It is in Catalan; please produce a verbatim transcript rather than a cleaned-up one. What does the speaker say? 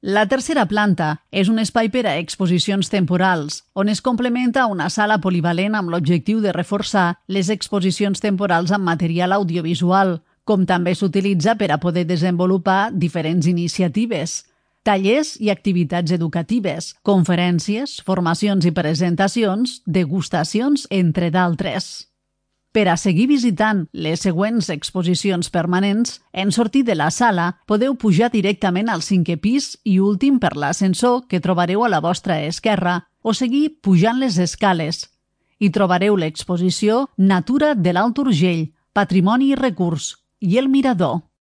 La tercera planta és un espai per a exposicions temporals, on es complementa una sala polivalent amb l'objectiu de reforçar les exposicions temporals amb material audiovisual, com també s'utilitza per a poder desenvolupar diferents iniciatives, tallers i activitats educatives, conferències, formacions i presentacions, degustacions, entre d'altres. Per a seguir visitant les següents exposicions permanents, en sortir de la sala podeu pujar directament al cinquè pis i últim per l'ascensor que trobareu a la vostra esquerra o seguir pujant les escales. Hi trobareu l'exposició Natura de l'Alt Urgell, Patrimoni i Recurs i el Mirador.